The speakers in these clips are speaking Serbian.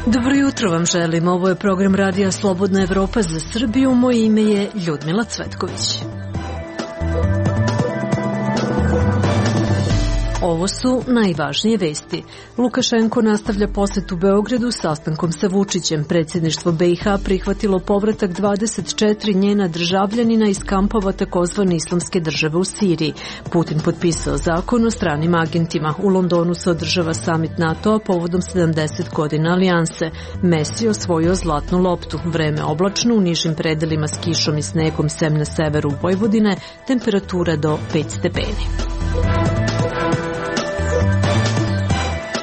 Dobro jutro vam želim. Ovo je program Radija Slobodna Evropa za Srbiju. Moje ime je Ljudmila Cvetković. Ovo su najvažnije vesti. Lukašenko nastavlja posetu Beogradu sastankom sa Vučićem. Predsjedništvo BiH prihvatilo povratak 24 njena državljanina iz kampova takozvane Islamske države u Siriji. Putin potpisao zakon o stranim agentima. U Londonu se održava samit NATO-a povodom 70 godina alijanse. Messi osvojio zlatnu loptu. Vreme oblačno, u nižim predelima s kišom i snegom, sem na severu Vojvodine, temperatura do 5 stepeni.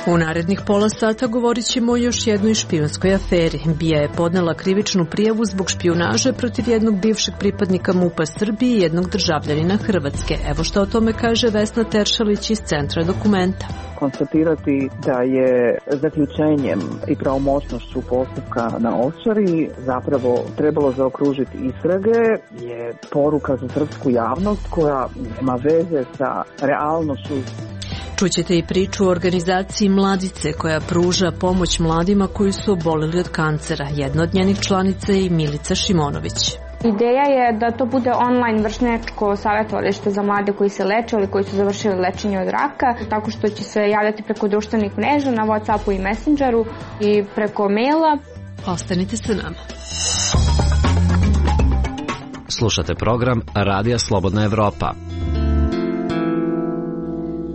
U narednih pola sata govorit ćemo o još jednoj špijunskoj aferi. BIA je podnela krivičnu prijavu zbog špijunaže protiv jednog bivšeg pripadnika MUP-a Srbije i jednog državljanina Hrvatske. Evo što o tome kaže Vesna Teršalić iz Centra Dokumenta. Konstatirati da je zaključenjem i pravomoćnošću postupka na Ovčari zapravo trebalo zaokružiti istrage je poruka za srpsku javnost koja nema veze sa realnošću. Čućete i priču o organizaciji Mladice koja pruža pomoć mladima koji su oboleli od kancera. Jedna od njenih članica je i Milica Šimonović. Ideja je da to bude online vršnjačko savjetovalište za mlade koji se leče ili koji su završili lečenje od raka, tako što će se javljati preko društvenih mreža na WhatsAppu i Messengeru i preko maila. Ostanite sa nama. Slušate program Radija Slobodna Evropa.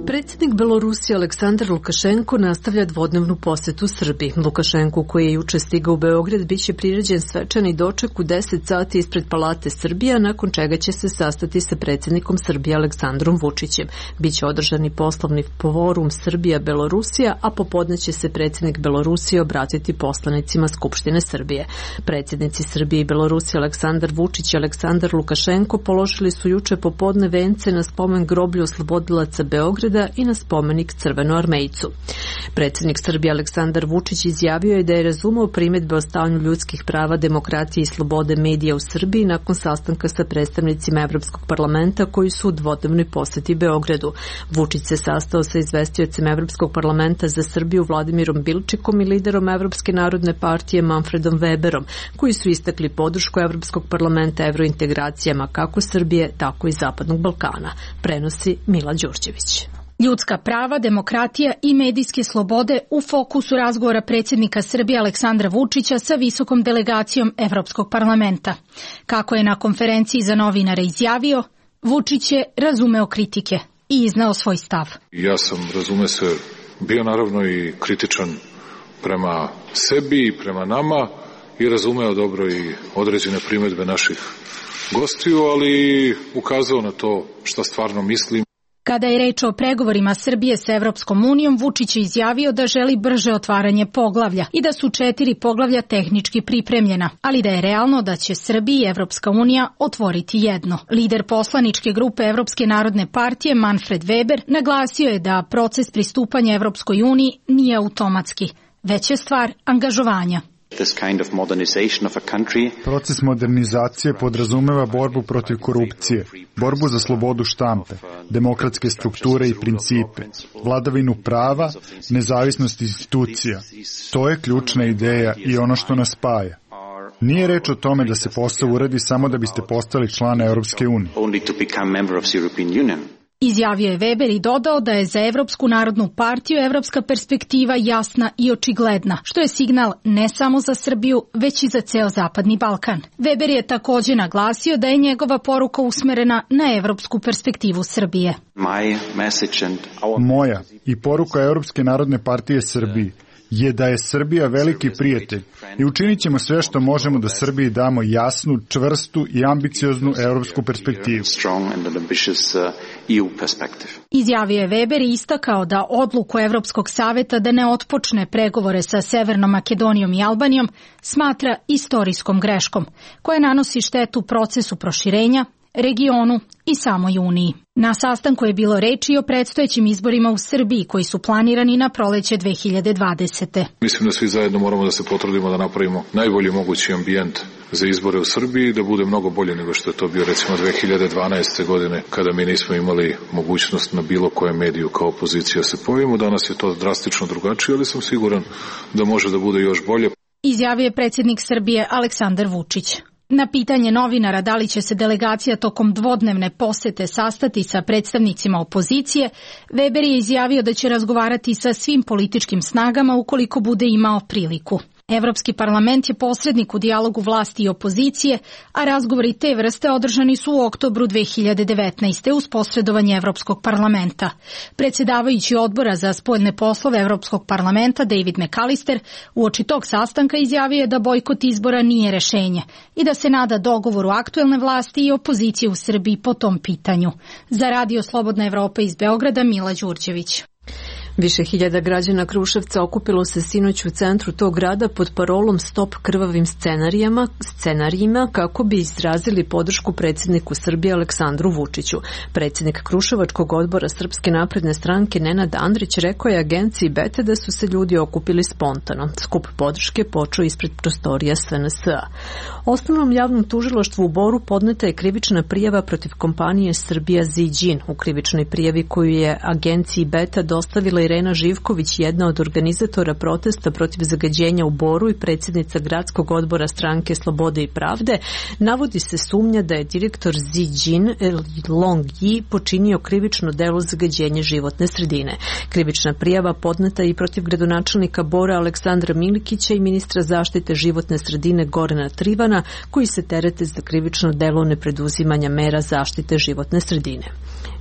Predsjednik Belorusije Aleksandar Lukašenko nastavlja dvodnevnu posetu Srbiji. Lukašenko, koji je juče stigao u Beograd, biće priređen svečani doček u 10 sati ispred Palate Srbija, nakon čega će se sastati sa predsjednikom Srbije Aleksandrom Vučićem. Biće održani poslovni forum Srbija-Belorusija, a popodne će se predsjednik Belorusije obratiti poslanicima Skupštine Srbije. Predsjednici Srbije i Belorusije Aleksandar Vučić i Aleksandar Lukašenko položili su juče popodne vence na spomen groblju oslobodilaca Beograda i na spomenik Crvenoarmejcu. Predsjednik Srbije Aleksandar Vučić izjavio je da je razumeo primjedbe o stanju ljudskih prava, demokratije i slobode medija u Srbiji nakon sastanka sa predstavnicima Evropskog parlamenta koji su u dvodnevnoj poseti Beogradu. Vučić se sastao sa izvestiocem Evropskog parlamenta za Srbiju Vladimirom Bilčikom i liderom Evropske narodne partije Manfredom Weberom, koji su istakli podršku Evropskog parlamenta evrointegracijama kako Srbije, tako i Zapadnog Balkana. Prenosi Mila Đurđević. Ljudska prava, demokratija i medijske slobode u fokusu razgovora predsjednika Srbije Aleksandra Vučića sa visokom delegacijom Evropskog parlamenta. Kako je na konferenciji za novinare izjavio, Vučić je razumeo kritike i izneo svoj stav. Ja sam, razume se, bio naravno i kritičan prema sebi i prema nama i razumeo dobro i određene primjedbe naših gostiju, ali ukazao na to šta stvarno mislim. Kada je reč o pregovorima Srbije sa Evropskom unijom, Vučić je izjavio da želi brže otvaranje poglavlja i da su 4 poglavlja tehnički pripremljena, ali da je realno da će Srbija i Evropska unija otvoriti jedno. Lider poslaničke grupe Evropske narodne partije Manfred Weber naglasio je da proces pristupanja Evropskoj uniji nije automatski, već je stvar angažovanja. Proces modernizacije podrazumeva borbu protiv korupcije, borbu za slobodu štampe, demokratske strukture i principe, vladavinu prava, nezavisnost institucija. To je ključna ideja i ono što nas spaja. Nije reč o tome da se posao uradi samo da biste postali član Europske unije. Izjavio je Weber i dodao da je za Evropsku narodnu partiju evropska perspektiva jasna i očigledna, što je signal ne samo za Srbiju, već i za ceo Zapadni Balkan. Weber je također naglasio da je njegova poruka usmerena na evropsku perspektivu Srbije. Moja i poruka Evropske narodne partije Srbiji je da je Srbija veliki prijatelj i učinit ćemo sve što možemo da Srbiji damo jasnu, čvrstu i ambicioznu evropsku perspektivu. Izjavio je Weber i istakao da odluku Evropskog saveta da ne otpočne pregovore sa Severnom Makedonijom i Albanijom smatra istorijskom greškom, koja nanosi štetu procesu proširenja, regionu i samoj Uniji. Na sastanku je bilo reči o predstojećim izborima u Srbiji koji su planirani na proleće 2020. Mislim da svi zajedno moramo da se potrudimo da napravimo najbolji mogući ambijent za izbore u Srbiji, da bude mnogo bolje nego što je to bio recimo 2012. godine kada mi nismo imali mogućnost na bilo kojem mediju kao opozicija se pojavimo. Danas je to drastično drugačije, ali sam siguran da može da bude još bolje. Izjavio je predsjednik Srbije Aleksandar Vučić. Na pitanje novinara da li će se delegacija tokom dvodnevne posete sastati sa predstavnicima opozicije, Weber je izjavio da će razgovarati sa svim političkim snagama ukoliko bude imao priliku. Evropski parlament je posrednik u dijalogu vlasti i opozicije, a razgovori te vrste održani su u oktobru 2019. uz posredovanje Evropskog parlamenta. Predsjedavajući odbora za spoljne poslove Evropskog parlamenta David McAllister uoči tog sastanka izjavio je da bojkot izbora nije rešenje i da se nada dogovoru aktuelne vlasti i opozicije u Srbiji po tom pitanju. Za Radio Slobodna Evropa iz Beograda, Mila Đurđević. Više hiljada građana Kruševca okupilo se sinoć u centru tog grada pod parolom Stop krvavim scenarijima kako bi izrazili podršku predsjedniku Srbije Aleksandru Vučiću. Predsjednik Kruševačkog odbora Srpske napredne stranke Nenad Andrić rekao je agenciji Bete da su se ljudi okupili spontano. Skup podrške počeo ispred prostorija SNS-a. Osnovnom javnom tužilaštvu u Boru podneta je krivična prijava protiv kompanije Srbija Ziđin. U krivičnoj prijavi koju je agenciji Beta dostavila Irena Živković, jedna od organizatora protesta protiv zagađenja u Boru i predsjednica gradskog odbora stranke Slobode i pravde, navodi se sumnja da je direktor Ziđin Long Yi počinio krivično delo zagađenja životne sredine. Krivična prijava podneta i protiv gradonačelnika Bora Aleksandra Milikića i ministra zaštite životne sredine Gorana Trivana, koji se terete za krivično delo nepreduzimanja mera zaštite životne sredine.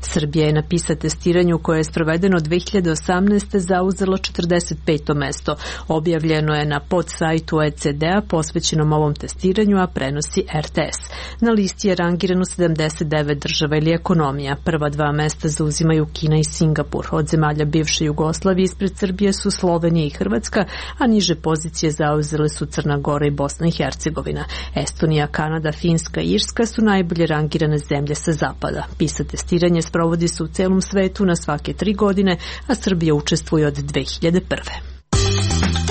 Srbija je na PISA testiranju koje je sprovedeno 2018. zauzela 45. mesto. Objavljeno je na podsajtu OECD-a posvećenom ovom testiranju, a prenosi RTS. Na listi je rangirano 79 država ili ekonomija. Prva dva mesta zauzimaju Kina i Singapur. Od zemalja bivše Jugoslavije ispred Srbije su Slovenija i Hrvatska, a niže pozicije zauzele su Crna Gora i Bosna i Hercegovina. Estonija, Kanada, Finska i Irska su najbolje rangirane zemlje sa zapada. PISA testiranje sprovodi se u celom svetu na svake 3 godine, a Srbija učestvuje od 2001.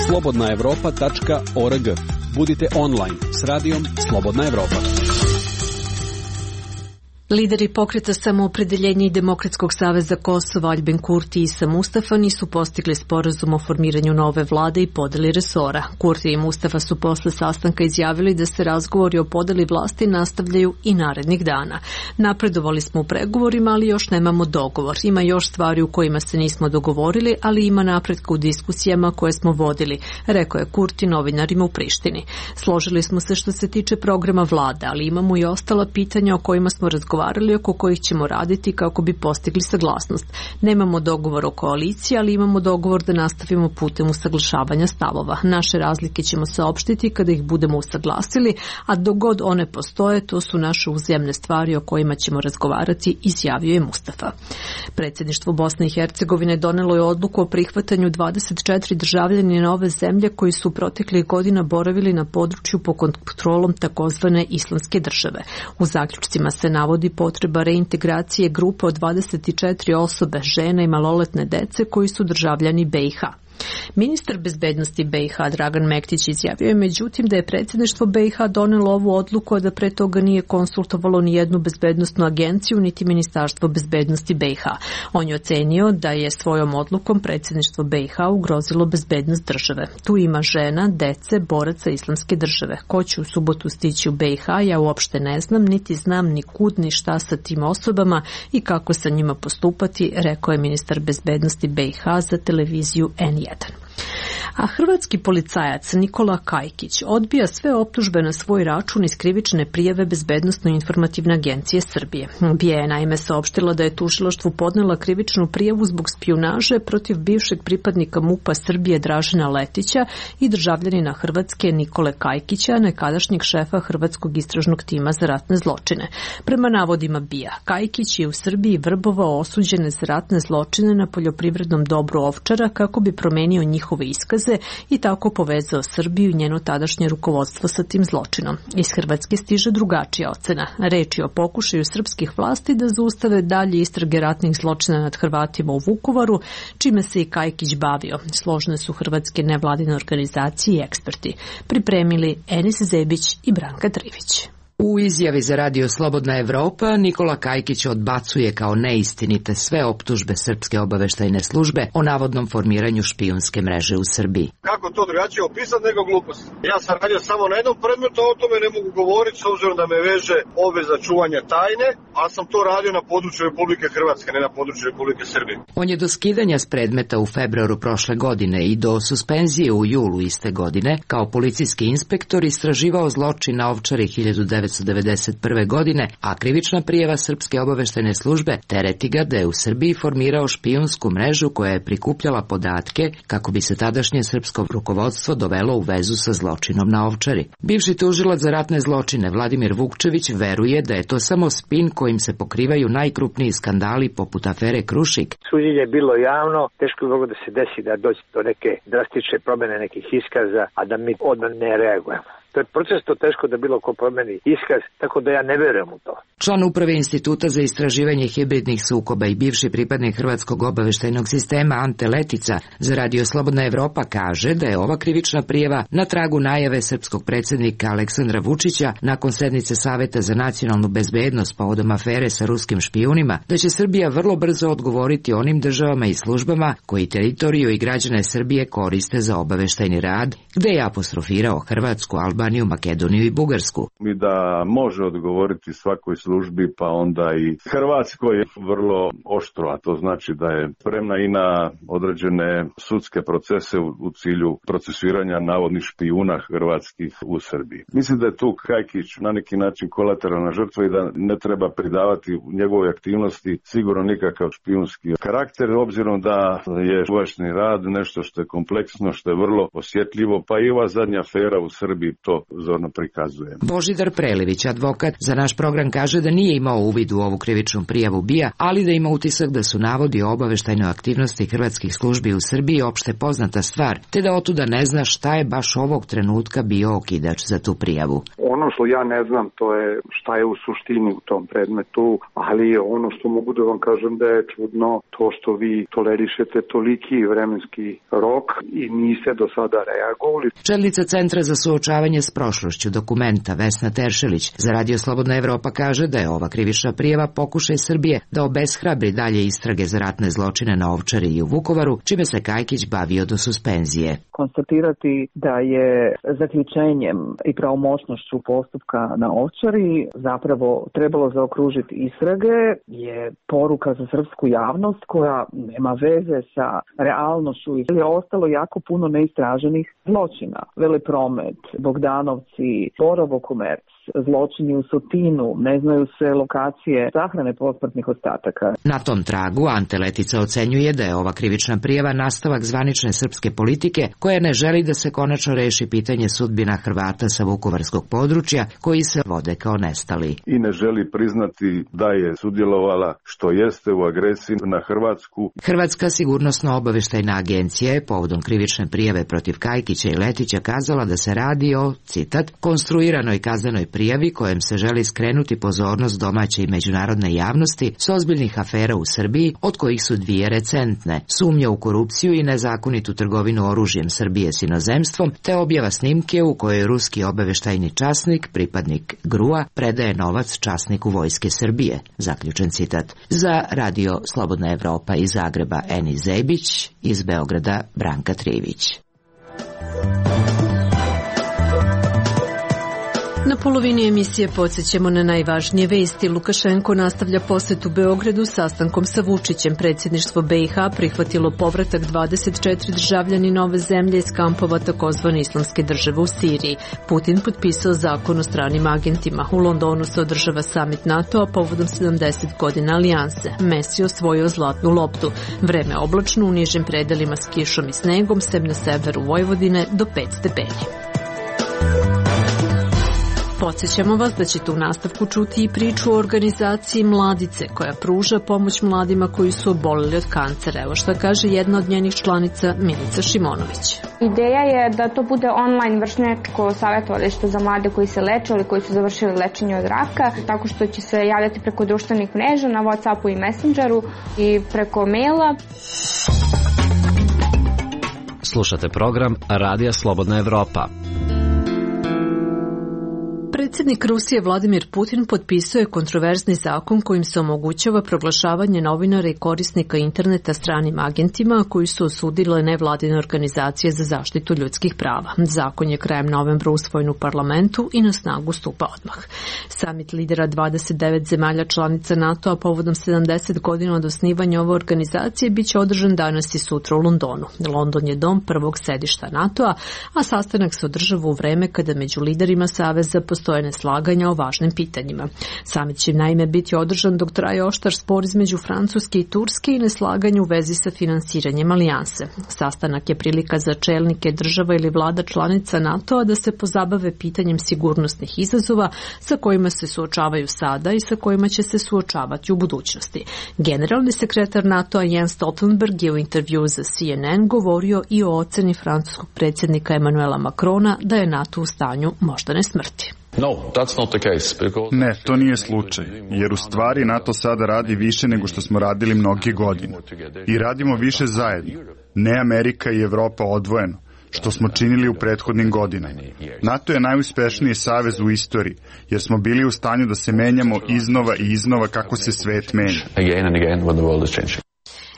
slobodnaevropa.org. Budite online s radijom Slobodna Evropa. Lideri pokreta Samoopredeljenja i Demokratskog saveza Kosova Aljbin Kurti i Isa Mustafa nisu postigli sporazum o formiranju nove vlade i podeli resora. Kurti i Mustafa su posle sastanka izjavili da se razgovori o podeli vlasti nastavljaju i narednih dana. Napredovali smo u pregovorima, ali još nemamo dogovor. Ima još stvari u kojima se nismo dogovorili, ali ima napretka u diskusijama koje smo vodili, rekao je Kurti novinarima u Prištini. Složili smo se što se tiče programa vlade, ali imamo i ostala pitanja o kojima smo razgovarali, oko kojih ćemo raditi kako bi postigli saglasnost. Nemamo dogovor o koaliciji, ali imamo dogovor da nastavimo putem usaglašavanja stavova. Naše razlike ćemo saopštiti kada ih budemo usaglasili, a dok god one postoje, to su naše uzajamne stvari o kojima ćemo razgovarati, izjavio je Mustafa. Predsjedništvo Bosne i Hercegovine donelo je odluku o prihvatanju 24 državljanina ove zemlje koji su proteklih godina boravili na području pod kontrolom takozvane Islamske države. U zaključcima se navodi potreba reintegracije grupe od 24 osobe, žena i maloletne dece koji su državljani BiH. Ministar bezbednosti BiH Dragan Mektić izjavio je međutim da je predsjedništvo BiH donelo ovu odluku, a da pre toga nije konsultovalo ni jednu bezbednosnu agenciju niti Ministarstvo bezbednosti BiH. On je ocenio da je svojom odlukom predsjedništvo BiH ugrozilo bezbednost države. Tu ima žena, dece, boraca Islamske države. Ko će u subotu stići u BiH, ja uopšte ne znam, niti znam ni kud ni šta sa tim osobama i kako sa njima postupati, rekao je ministar bezbednosti BiH za televiziju N1. A hrvatski policajac Nikola Kajkić odbija sve optužbe na svoj račun iz krivične prijave Bezbednosno-informativne agencije Srbije. BIA je naime saopštila da je tužilaštvu podnela krivičnu prijavu zbog špijunaže protiv bivšeg pripadnika MUP-a Srbije Dražena Letića i državljanina Hrvatske Nikole Kajkića, nekadašnjeg šefa Hrvatskog istražnog tima za ratne zločine. Prema navodima BIA, Kajkić je u Srbiji vrbovao osuđene za ratne zločine na poljoprivrednom dobru Ovčara kako bi promenio njihove iskaze dokaze i tako povezao Srbiju i njeno tadašnje rukovodstvo sa tim zločinom. Iz Hrvatske stiže drugačija ocena. Reč je o pokušaju srpskih vlasti da zaustave dalje istrage ratnih zločina nad Hrvatima u Vukovaru, čime se i Kajkić bavio. Složne su hrvatske nevladine organizacije i eksperti. Pripremili Enis Zebić i Branka Trivić. U izjavi za Radio Slobodna Evropa Nikola Kajkić odbacuje kao neistinite sve optužbe Srpske obaveštajne službe o navodnom formiranju špijunske mreže u Srbiji. Kako to drugačije opisati nego glupost? Ja sam radio samo na jednom predmetu, o tome ne mogu govoriti s obzirom da me veže obveza čuvanja tajne, a sam to radio na području Republike Hrvatske, ne na području Republike Srbije. On je do skidanja s predmeta u februaru prošle godine i do suspenzije u julu iste godine kao policijski inspektor istraživao zločin na Ovčari 1991. godine, a krivična prijava Srpske obaveštajne službe tereti ga da je u Srbiji formirao špijunsku mrežu koja je prikupljala podatke kako bi se tadašnje srpsko rukovodstvo dovelo u vezu sa zločinom na Ovčari. Bivši tužilac za ratne zločine Vladimir Vukčević veruje da je to samo spin kojim se pokrivaju najkrupniji skandali poput afere Krušik. Suđenje je bilo javno, teško je moglo da se desi da dođe do neke drastične promene nekih iskaza, a da mi odmah ne reagujemo. To je proces, to teško da bilo ko promeni iskaz, tako da ja ne verujem u to. Član uprave Instituta za istraživanje hibridnih sukoba i bivši pripadnik Hrvatskog obaveštajnog sistema Ante Letica za Radio Slobodna Evropa kaže da je ova krivična prijava na tragu najave srpskog predsjednika Aleksandra Vučića nakon sednice Saveta za nacionalnu bezbednost povodom afere sa ruskim špijunima, da će Srbija vrlo brzo odgovoriti onim državama i službama koji teritoriju i građane Srbije koriste za obaveštajni rad, gde je apostrofirao Hrvatsku, Albaniju, Makedoniju i Bugarsku. I da može odgovoriti svakoj službi, pa onda i Hrvatskoj vrlo oštro, a to znači da je spremna i na određene sudske procese u cilju procesuiranja navodnih špijuna hrvatskih u Srbiji. Mislim da je tu Kajkić na neki način kolateralna žrtva i da ne treba pridavati u njegovoj aktivnosti sigurno nikakav špijunski karakter, obzirom da je obaveštajni rad nešto što je kompleksno, što je vrlo osjetljivo, pa i ova zadnja afera u Srbiji to zorno prikazuje. Božidar Prelević, advokat, za naš program kaže da nije imao uvid u ovu krivičnu prijavu BIA, ali da ima utisak da su navodi o obaveštajnoj aktivnosti hrvatskih službi u Srbiji opšte poznata stvar, te da otuda ne zna šta je baš ovog trenutka bio okidač za tu prijavu. Ono što ja ne znam, to je šta je u suštini u tom predmetu, ali ono što mogu da vam kažem da je čudno to što vi tolerišete toliki vremenski rok i niste do sada reagovali. Čelnica Centra za suočavanje s prošlošću Dokumenta Vesna Teršelić za Radio Slobodna Evropa kaže da je ova krivična prijava pokušaj Srbije da obeshrabri dalje istrage za ratne zločine na Ovčari i u Vukovaru, čime se Kajkić bavio do suspenzije. Konstatirati da je zaključenjem i pravomoćnošću postupka na Ovčari zapravo trebalo zaokružiti istrage je poruka za srpsku javnost koja nema veze sa realnošću i je ostalo jako puno neistraženih zločina. Velepromet, Bogdanovci, Borovo komerc, zločini u Sotinu, ne znaju se lokacije sahrane posmrtnih ostataka. Na tom tragu Ante Letica ocenjuje da je ova krivična prijava nastavak zvanične srpske politike koja ne želi da se konačno reši pitanje sudbina Hrvata sa vukovarskog područja koji se vode kao nestali. I ne želi priznati da je sudjelovala što jeste u agresiji na Hrvatsku. Hrvatska sigurnosno obaveštajna agencija je povodom krivične prijave protiv Kajkića i Letića kazala da se radi o, citat, konstruiranoj kaznenoj prijavi kojem se želi skrenuti pozornost domaće i međunarodne javnosti s ozbiljnih afera u Srbiji, od kojih su dvije recentne: sumnja u korupciju i nezakonitu trgovinu oružjem Srbije s inozemstvom, te objava snimke u kojoj ruski obaveštajni časnik, pripadnik GRU-a, predaje novac časniku Vojske Srbije. Zaključen citat. Za Radio Slobodna Evropa iz Zagreba Enis Zebić, iz Beograda Branka Trivić. Na polovini emisije podsjećamo na najvažnije vesti. Lukašenko nastavlja posetu Beogradu sastankom sa Vučićem. Predsjedništvo BiH prihvatilo povratak 24 državljani nove zemlje iz kampova takozvane Islamske države u Siriji. Putin potpisao zakon o stranim agentima. U Londonu se održava samit NATO-a povodom 70 godina alijanse. Messi osvojio zlatnu loptu. Vreme oblačno u nižim predelima s kišom i snegom, sem na severu Vojvodine do 5 stepeni. Podsjećamo vas da ćete u nastavku čuti i priču o organizaciji Mladice, koja pruža pomoć mladima koji su oboleli od kancera. Evo šta kaže jedna od njenih članica, Milica Šimonović. Ideja je da to bude online vršnjačko savjetovalište za mlade koji se leče ili koji su završili lečenje od raka, tako što će se javljati preko društvenih mreža na WhatsAppu i Messengeru i preko maila. Slušate program Radija Slobodna Evropa. Predsjednik Rusije Vladimir Putin potpisao je kontroverzni zakon kojim se omogućava proglašavanje novinara i korisnika interneta stranim agentima koji su osudile nevladine organizacije za zaštitu ljudskih prava. Zakon je krajem novembra usvojen u parlamentu i na snagu stupa odmah. Samit lidera 29 zemalja članica NATO-a povodom 70 godina od osnivanja ove organizacije biće održan danas i sutra u Londonu. London je dom prvog sedišta NATO-a, a sastanak se održava u vreme kada među liderima saveza postoje neslaganja o važnim pitanjima. Samit će naime biti održan dok traje oštar spor između Francuske i Turske i neslaganje u vezi sa finansiranjem alijanse. Sastanak je prilika za čelnike država ili vlada članica NATO-a da se pozabave pitanjem sigurnosnih izazova sa kojima se suočavaju sada i sa kojima će se suočavati u budućnosti. Generalni sekretar NATO-a Jens Stoltenberg je u intervju za CNN govorio i o oceni francuskog predsjednika Emmanuela Macrona da je NATO u stanju moždane smrti. Ne, to nije slučaj, jer u stvari NATO sada radi više nego što smo radili mnoge godine. I radimo više zajedno, ne Amerika i Evropa odvojeno, što smo činili u prethodnim godinama. NATO je najuspešniji savez u istoriji, jer smo bili u stanju da se menjamo iznova i iznova kako se svet menja.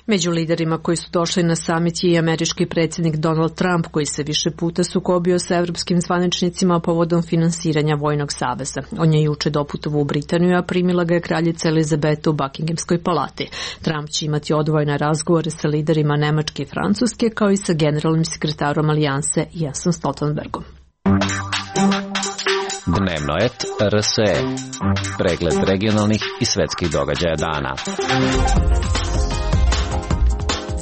Među liderima koji su došli na samit je i američki predsjednik Donald Trump, koji se više puta sukobio sa evropskim zvaničnicima povodom finansiranja vojnog saveza. On je juče doputovao u Britaniju, a primila ga je kraljica Elizabeta u Buckinghamskoj palati. Trump će imati odvojene razgovore sa liderima Nemačke i Francuske, kao i sa generalnim sekretarom alijanse Jensom Stoltenbergom. Dnevno et RSE. Pregled regionalnih i svetskih događaja dana.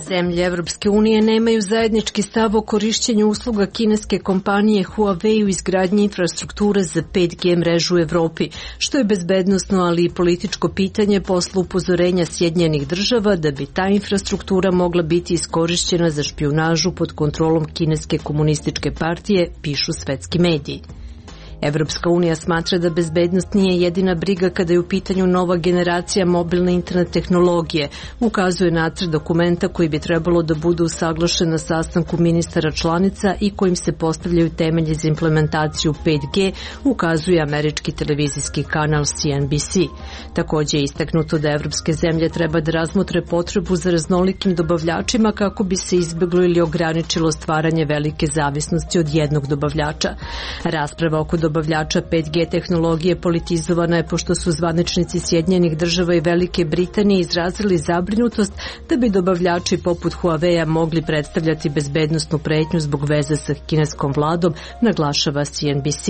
Zemlje Evropske unije nemaju zajednički stav o korišćenju usluga kineske kompanije Huawei u izgradnji infrastrukture za 5G mrežu u Evropi, što je bezbednosno, ali i političko pitanje posle upozorenja Sjedinjenih država da bi ta infrastruktura mogla biti iskorišćena za špijunažu pod kontrolom kineske komunističke partije, pišu svetski mediji. Evropska unija smatra da bezbednost nije jedina briga kada je u pitanju nova generacija mobilne internet tehnologije, ukazuje nacrt dokumenta koji bi trebalo da bude usaglašen na sastanku ministara članica i kojim se postavljaju temelji za implementaciju 5G, ukazuje američki televizijski kanal CNBC. Također je istaknuto da evropske zemlje treba da razmotre potrebu za raznolikim dobavljačima kako bi se izbjeglo ili ograničilo stvaranje velike zavisnosti od jednog dobavljača. Rasprava oko dobavljača 5G tehnologije politizovana je pošto su zvaničnici Sjedinjenih država i Velike Britanije izrazili zabrinutost da bi dobavljači poput Huawei-a mogli predstavljati bezbednosnu pretnju zbog veze sa kineskom vladom, naglašava CNBC.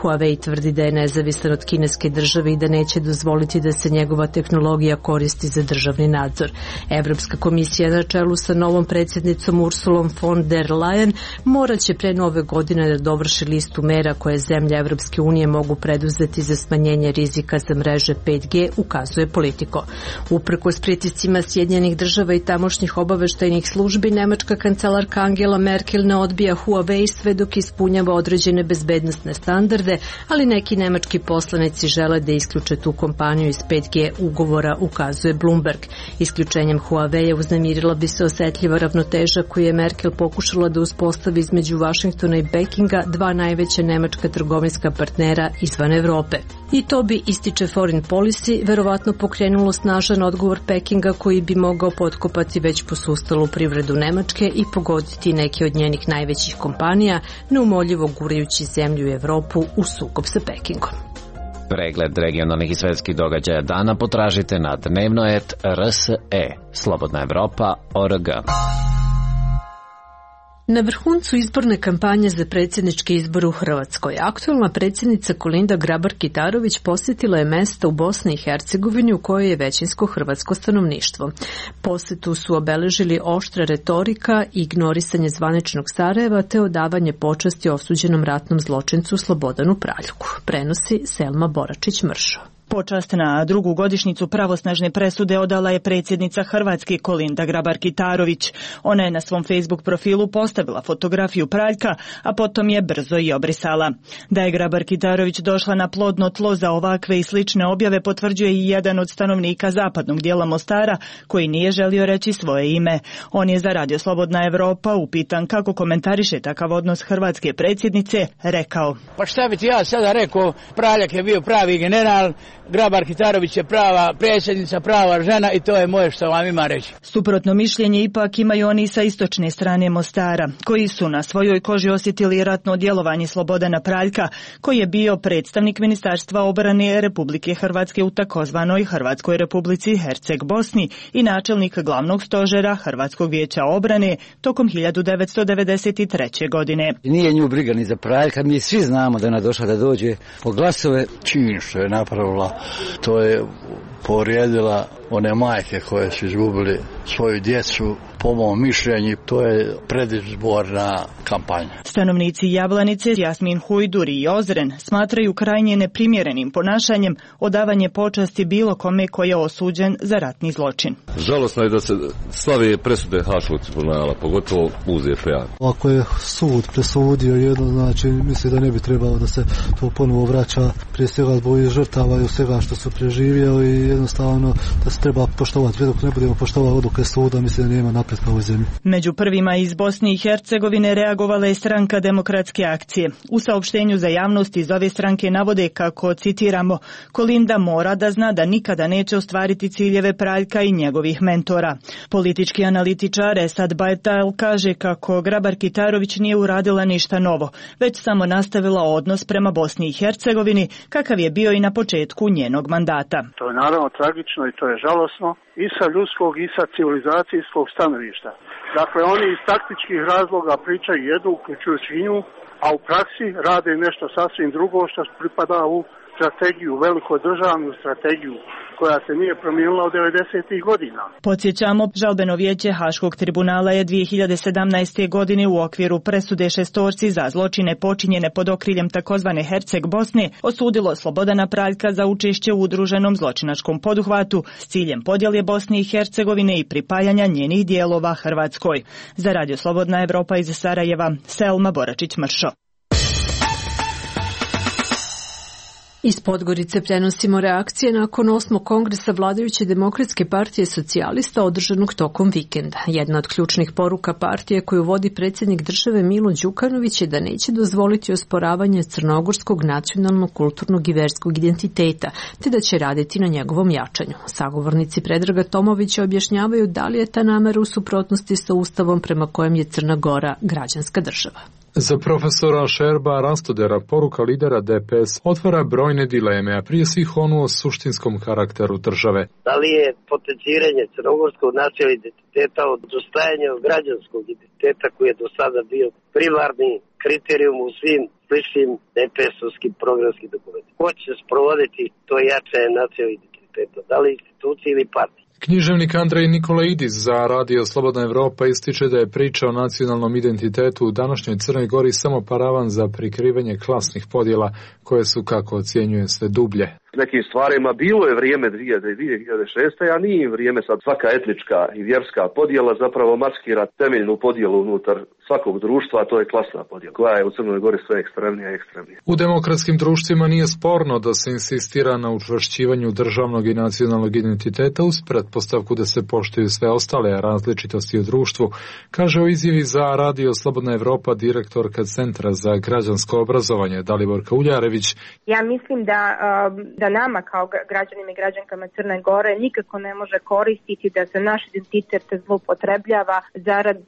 Huawei tvrdi da je nezavisan od kineske države i da neće dozvoliti da se njegova tehnologija koristi za državni nadzor. Evropska komisija na čelu sa novom predsjednicom Ursulom von der Leyen morat će pre nove godine da dovrši listu mera koje zemlje Evropske unije mogu preduzeti za smanjenje rizika za mreže 5G, ukazuje Politico. Uprkos pritiscima Sjedinjenih država i tamošnjih obaveštajnih službi, nemačka kancelarka Angela Merkel ne odbija Huawei sve dok ispunjava određene bezbednosne standarde, ali neki nemački poslanici žele da isključe tu kompaniju iz 5G ugovora, ukazuje Bloomberg. Isključenjem Huawei uznemirila bi se osetljiva ravnoteža koju je Merkel pokušala da uspostavi između Vašingtona i Pekinga, dva najveća nemačka trgovinska partnera izvan Evrope. I to bi, ističe Foreign Policy, verovatno pokrenulo snažan odgovor Pekinga koji bi mogao potkopati već posustalu privredu Nemačke i pogoditi neke od njenih najvećih kompanija, neumoljivo gurajući zemlju i Evropu u sukob sa Pekingom. Pregled regionalnih i svetskih događaja dana potražite na dnevnoet.rs.e. Slobodna Evropa.org. Na vrhuncu izborne kampanje za predsjedničke izbore u Hrvatskoj, aktuelna predsjednica Kolinda Grabar-Kitarović posjetila je mesta u Bosni i Hercegovini u kojoj je većinsko hrvatsko stanovništvo. Posetu su obeležili oštra retorika i ignorisanje zvaničnog Sarajeva te odavanje počasti osuđenom ratnom zločincu Slobodanu Praljku. Prenosi Selma Boračić-Mršo. Počast na drugu godišnjicu pravosnažne presude odala je predsjednica Hrvatske Kolinda Grabar-Kitarović. Ona je na svom Facebook profilu postavila fotografiju Praljka, a potom je brzo i obrisala. Da je Grabar-Kitarović došla na plodno tlo za ovakve i slične objave potvrđuje i jedan od stanovnika zapadnog dijela Mostara koji nije želio reći svoje ime. On je za Radio Slobodna Evropa upitan kako komentariše takav odnos hrvatske predsjednice, rekao: Pa šta bi ti ja sada rekao, Praljak je bio pravi general, Grabar-Kitarović je prava predsjednica, prava žena i to je moje što vam ima reći. Suprotno mišljenje ipak imaju oni sa istočne strane Mostara, koji su na svojoj koži osjetili ratno djelovanje Slobodana Praljka, koji je bio predstavnik Ministarstva obrane Republike Hrvatske u takozvanoj Hrvatskoj Republici Herceg Bosni i načelnik glavnog stožera Hrvatskog vijeća obrane tokom 1993. godine. Nije nju briga ni za Praljka, mi svi znamo da ona došla da dođe po glasove. Čin što je napravila, to je povrijedila one majke koje su izgubili svoju djecu. Po mom mišljenju, to je predizborna kampanja. Stanovnici Jablanice, Jasmin Hujdur i Ozren smatraju krajnje neprimjerenim ponašanjem odavanje počasti bilo kome ko je osuđen za ratni zločin. Žalosno je da se slave presude Haškog tribunala, pogotovo u ZPA. Ako je sud presudio jedno, znači misli da ne bi trebalo da se to ponovo vraća, prije svega zbog žrtava i svega što su preživjeli i jednostavno da se treba poštovati. Dok ne budemo poštovati odluke suda, mislim da nema napred na ovoj zemlji. Među prvima iz Bosne i Hercegovine reagovala je stranka Demokratske akcije. U saopštenju za javnost iz ove stranke navode kako, citiramo, Kolinda mora da zna da nikada neće ostvariti ciljeve Praljka i njegovih mentora. Politički analitičar Esad Bajtal kaže kako Grabar-Kitarović nije uradila ništa novo, već samo nastavila odnos prema Bosni i Hercegovini kakav je bio i na početku njenog mandata. To je naravno tragično i to je žalosno i sa ljudskog i sa civilizacijskog stanovišta. Dakle, oni iz taktičkih razloga pričaju jednu, uključujući nju, a u praksi rade nešto sasvim drugo što pripada u strategiju, velikodržavnu strategiju koja se nije promijenila od 90. godina. Podsjećamo, žalbeno vijeće Haškog tribunala je 2017. godine u okviru presude šestorci za zločine počinjene pod okriljem takozvane Herceg Bosne osudilo Slobodana Praljka za učešće u udruženom zločinačkom poduhvatu s ciljem podjele Bosne i Hercegovine i pripajanja njenih dijelova Hrvatskoj. Za Radio Slobodna Evropa iz Sarajeva, Selma Boračić-Mršo. Iz Podgorice prenosimo reakcije nakon 8. kongresa vladajuće Demokratske partije socijalista održanog tokom vikenda. Jedna od ključnih poruka partije koju vodi predsjednik države Milo Đukanović je da neće dozvoliti osporavanje crnogorskog nacionalnog, kulturnog i verskog identiteta, te da će raditi na njegovom jačanju. Sagovornici Predraga Tomovića objašnjavaju da li je ta namera u suprotnosti sa ustavom prema kojem je Crna Gora građanska država. Za profesora Šerba Rastodera poruka lidera DPS otvara brojne dileme, a prije svih onu o suštinskom karakteru države. Da li je potenciranje crnogorskog nacionalnog identiteta odustajanje od građanskog identiteta koji je do sada bio primarni kriterijum u svim sličnim DPS-ovskim programskim dokumentima? Ko će sprovoditi to jačanje nacionalnog identiteta? Da li institucije ili partije? Književnik Andrej Nikolaidis za Radio Slobodna Evropa ističe da je priča o nacionalnom identitetu u današnjoj Crnoj Gori samo paravan za prikrivanje klasnih podjela koje su, kako ocjenjuje, sve dublje. Nekim stvarima bilo je vrijeme 2006. a nije vrijeme sad. Svaka etnička i vjerska podjela zapravo maskira temeljnu podjelu unutar svakog društva, a to je klasna podjela, koja je u Crnoj Gori sve ekstremnija i ekstremnija. U demokratskim društvima nije sporno da se insistira na učvršćivanju državnog i nacionalnog identiteta uz pretpostavku da se poštuju sve ostale različitosti u društvu, kaže u izjavi za Radio Slobodna Evropa direktorka Centra za građansko obrazovanje Daliborka Uljarević. Ja mislim da da nama kao građanima i građankama Crne Gore nikako ne može koristiti da se naš identitet zloupotrebljava zarad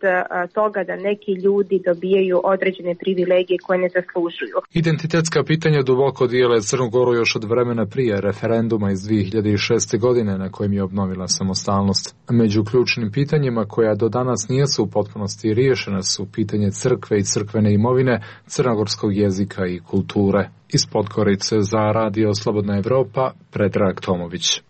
toga da neki ljudi dobijaju određene privilegije koje ne zaslužuju. Identitetska pitanja duboko dijele Crnu Goru još od vremena prije referenduma iz 2006. godine na kojem je obnovila samostalnost. Među ključnim pitanjima koja do danas nisu u potpunosti riješena su pitanje crkve i crkvene imovine, crnogorskog jezika i kulture. Iz Podgorice za Radio Slobodna Evropa, Predrag Tomović.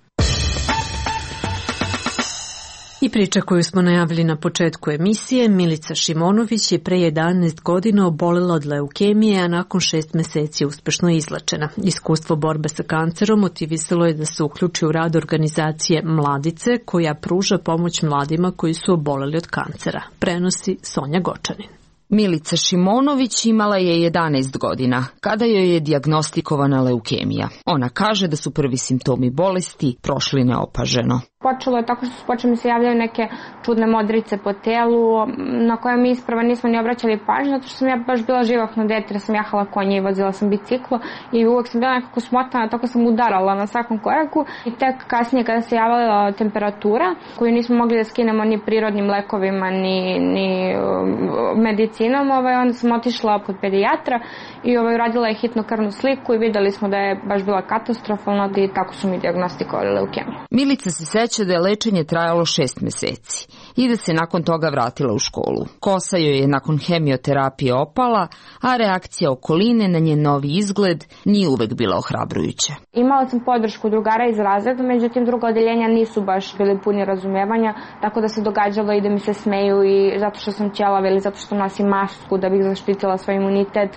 I priča koju smo najavili na početku emisije, Milica Šimonović je pre 11 godina obolela od leukemije, a nakon 6 meseci uspešno izlečena. Iskustvo borbe sa kancerom motivisalo je da se uključi u rad organizacije Mladice, koja pruža pomoć mladima koji su oboleli od kancera. Prenosi Sonja Gočanin. Milica Šimonović imala je 11 godina kada joj je dijagnostikovana leukemija. Ona kaže da su prvi simptomi bolesti prošli neopaženo. Počelo je tako što su počeli se javljaju neke čudne modrice po telu na koje mi isprava nismo ni obraćali pažnju, zato što sam ja baš bila živahno dete, jer sam jahala konje i vozila sam biciklo i uvek sam bila nekako smotana, tako sam udarala na svakom koraku i tek kasnije kada se javila temperatura koju nismo mogli da skinemo ni prirodnim lekovima ni medicinom, onda sam otišla kod pedijatra i uradila je hitnu krvnu sliku i videli smo da je baš bila katastrofalna i tako su mi dijagnostikovali leukemiju. Milica se seća da je lečenje trajalo 6 meseci i da se nakon toga vratila u školu. Kosa joj je nakon hemioterapije opala, a reakcija okoline na njen novi izgled nije uvek bila ohrabrujuća. Imala sam podršku drugara iz razreda, međutim druga odeljenja nisu baš bili puni razumevanja, tako da se događalo i da mi se smeju i zato što sam ćelava ili zato što nosim masku da bih zaštitila svoj imunitet.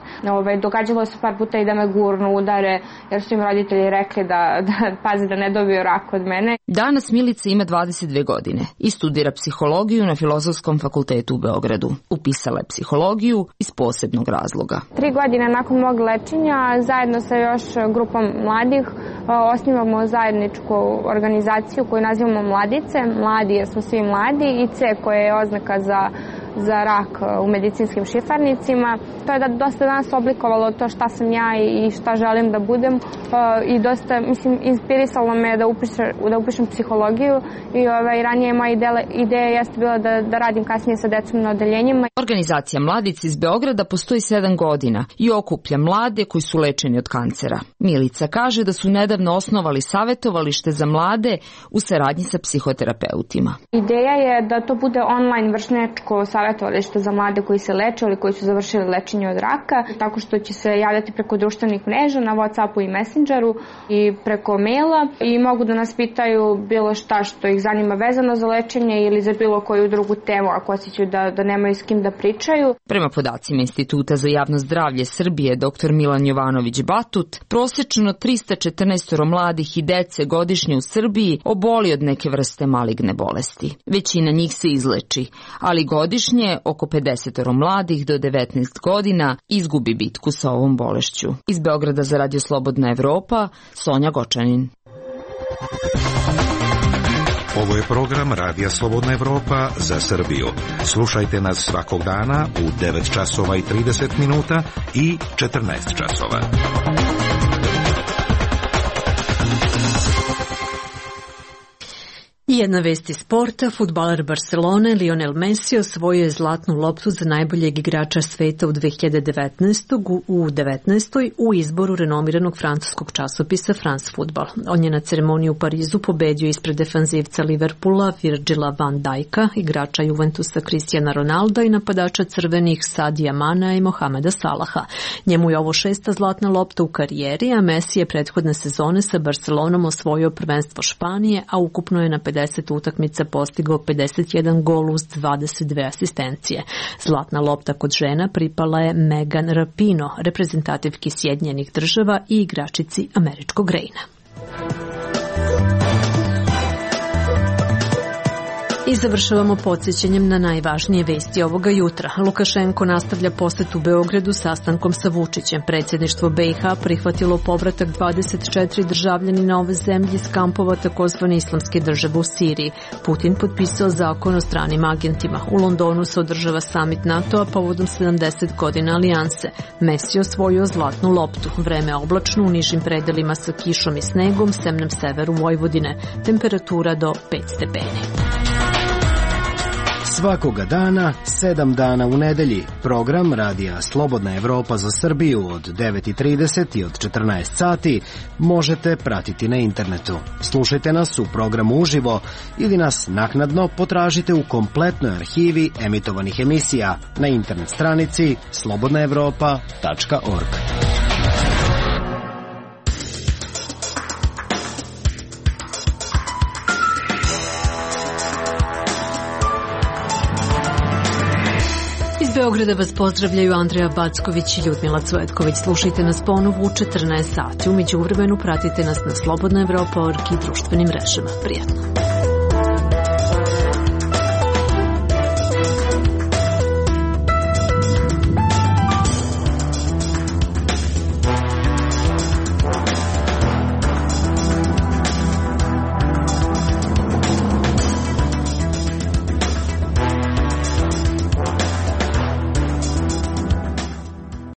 Događalo se par puta i da me gurnu, udare, jer su im roditelji rekli da pazi da ne dobiju rak od mene. Danas Milica ima 22 godine i studira psihologiju na Filozofskom fakultetu u Beogradu. Upisala je psihologiju iz posebnog razloga. 3 godine nakon mog lečenja, zajedno sa još grupom mladih, osnivamo zajedničku organizaciju koju nazivamo Mladice. Mladi jer smo svi mladi i C koja je oznaka za rak u medicinskim šifarnicima. To je da dosta danas oblikovalo to šta sam ja i šta želim da budem i dosta, inspirisalo me da upišem psihologiju i ranije moja ideja jeste bila da radim kasnije sa decom na odeljenjima. Organizacija Mladic iz Beograda postoji 7 godina i okuplja mlade koji su lečeni od kancera. Milica kaže da su nedavno osnovali savjetovalište za mlade u saradnji sa psihoterapeutima. Ideja je da to bude online vršnjačko savjetovalište za mlade koji se leče ili koji su završili lečenje od raka, tako što će se javljati preko društvenih mreža na WhatsAppu i Messengeru i preko maila i mogu da nas pitaju bilo šta što ih zanima vezano za lečenje ili za bilo koju drugu temu ako osjećaju da nemaju s kim da pričaju. Prema podacima Instituta za javno zdravlje Srbije dr. Milan Jovanović Batut, prosečno 314 mladih i dece godišnje u Srbiji oboli od neke vrste maligne bolesti. Većina njih se izleči, ali godišnje oko 50 mladih do 19 godina izgubi bitku sa ovom bolešću. Iz Beograda za Radio Slobodna Evropa, Sonja Gočanin. Ovo je program Radija Slobodna Evropa za Srbiju. Slušajte nas svakog dana u 9 časova i 30 minuta i 14 časova. I jedna vest iz sporta, fudbaler Barcelone Lionel Messi osvojio je zlatnu loptu za najboljeg igrača sveta u 2019. u izboru renomiranog francuskog časopisa France Football. On je na ceremoniji u Parizu pobedio ispred defanzivca Liverpoola Virgila van Dijka, igrača Juventusa Cristiana Ronalda i napadača crvenih Sadija Mana i Mohameda Salaha. Njemu je ovo 6. zlatna lopta u karijeri, a Messi je prethodne sezone sa Barcelonom osvojio prvenstvo Španije, a ukupno je na 50 utakmica postigao 51 gol uz 22 asistencije. Zlatna lopta kod žena pripala je Megan Rapinoe, reprezentativki Sjedinjenih Država i igračici američkog Rejna. Iz završavamo podsjećanjem na najvažnije vesti ovoga jutra. Lukašenko nastavlja posetu Beogradu sastankom sa Vučićem. Predsjedništvo BiH prihvatilo povratak 24 državljanina ove zemlje iz kampova takozvane islamske države u Siriji. Putin potpisao zakon o stranim agentima. U Londonu se održava samit NATO-a povodom 70 godina alijanse. Messi osvojio zlatnu loptu. Vreme oblačno u nižim predelima sa kišom i snegom, semnem severu Vojvodine. Temperatura do 5 stepeni. Svakoga dana, 7 dana u nedelji. Program Radija Slobodna Evropa za Srbiju od 9:30 i od 14 sati možete pratiti na internetu. Slušajte nas u programu uživo ili nas naknadno potražite u kompletnoj arhivi emitovanih emisija na internet stranici slobodnaevropa.org. Beograda vas pozdravljaju Andreja Backović i Ljudmila Cvetković. Slušajte nas ponovo u 14 sati. U međuvremenu pratite nas na slobodnaevropa.org i društvenim mrežama. Prijatno.